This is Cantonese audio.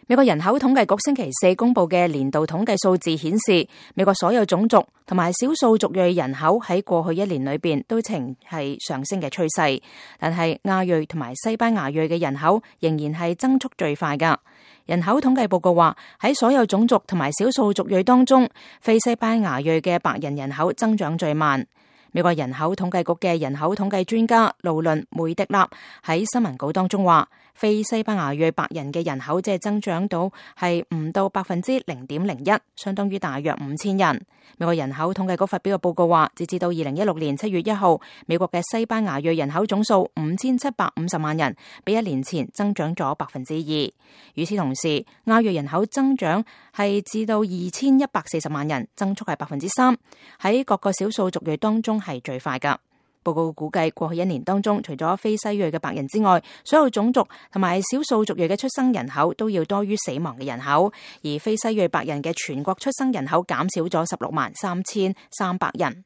美國人口統計局星期四公布嘅年度統計數字顯示，美國所有種族同埋少數族裔人口喺過去一年裏邊都呈係上升嘅趨勢，但係亞裔同埋西班牙裔嘅人口仍然係增速最快噶。人口統計報告話，喺所有種族同埋少數族裔當中，非西班牙裔嘅白人人口增長最慢。美國人口統計局嘅人口統計專家勞倫梅迪納喺新聞稿當中話，非西班牙裔白人嘅人口只係增長到係唔到0.01%，相當於大約5000人。美國人口統計局發表嘅報告話，截至到2016年7月1號，美國嘅西班牙裔人口總數5750萬人，比一年前增長咗2%。與此同時，亞裔人口增長係至到2140萬人，增速係3%，喺各個少數族裔當中係最快噶。報告估計過去一年當中，除咗非西裔嘅白人之外，所有種族同埋少數族裔嘅出生人口都要多於死亡嘅人口，而非西裔白人嘅全國出生人口減少咗163300人。